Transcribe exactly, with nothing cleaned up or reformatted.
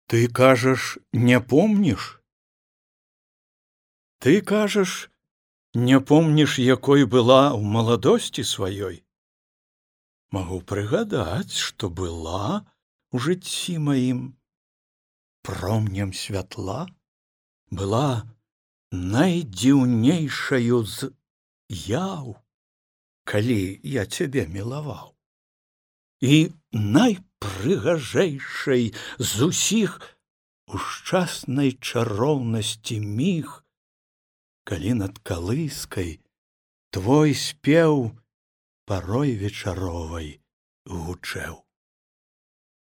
Ты кажаш, не помніш? Ты кажаш, не помніш, якой была ў маладосці сваёй? Магу прыгадаць, што была ў жыцці маім. Промнем святла была найдзіўнейшаю з яў, калі я цябе мілаваў. І найпрыгажэйшай з усіх у шчаснай чароўнасці міг, калі над калыскай твой спеў парой вечаровай гучэў.